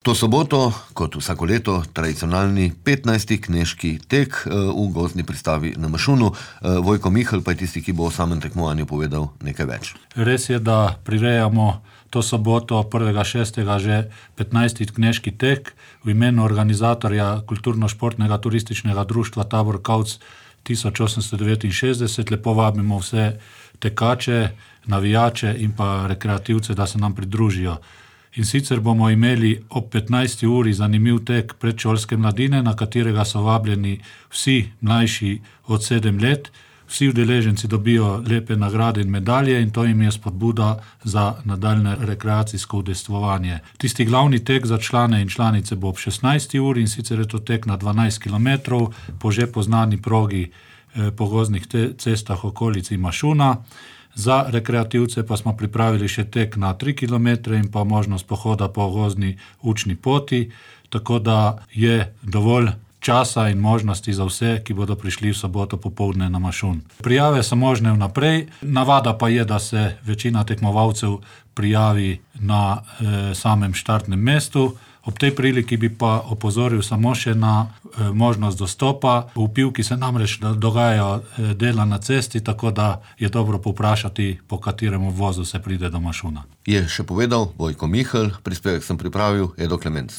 To soboto, kot vsako leto, tradicionalni 15. knežki tek v gozdni pristavi na Mašunu. Vojko Mihelj pa je tisti, ki bo o samem tekmovanju povedal nekaj več. Res je, da prirejamo to soboto 1.6. že 15. knežki tek v imenu organizatorja kulturno-športnega turističnega društva Tabor Kavc 1869. Lepo vabimo vse tekače, navijače in pa rekreativce, da se nam pridružijo. In sicer bomo imeli ob 15. uri zanimiv tek predšolske mladine, na katerega so vabljeni vsi mlajši od 7 let. Vsi udeleženci dobijo lepe nagrade in medalje in to jim je spodbuda za nadaljne rekreacijsko udejstvovanje. Tisti glavni tek za člane in članice bo ob 16. uri in sicer je to tek na 12 km po že poznani progi po gozdnih cestah okolici Mašuna. Za rekreativce pa smo pripravili še tek na 3 km in pa možnost pohoda po gozdni učni poti, tako da je dovolj časa in možnosti za vse, ki bodo prišli v soboto popoldne na Mašun. Prijave so možne vnaprej, navada pa je, da se večina tekmovalcev prijavi na samem štartnem mestu. Ob tej priliki bi pa opozoril samo še na možnost dostopa. V Pivki se namreč dogajajo dela na cesti, tako da je dobro povprašati, po katerem vozu se pride do Mašuna. Je še povedal Vojko Mihelj, prispevek sem pripravil, Edo Klemenc.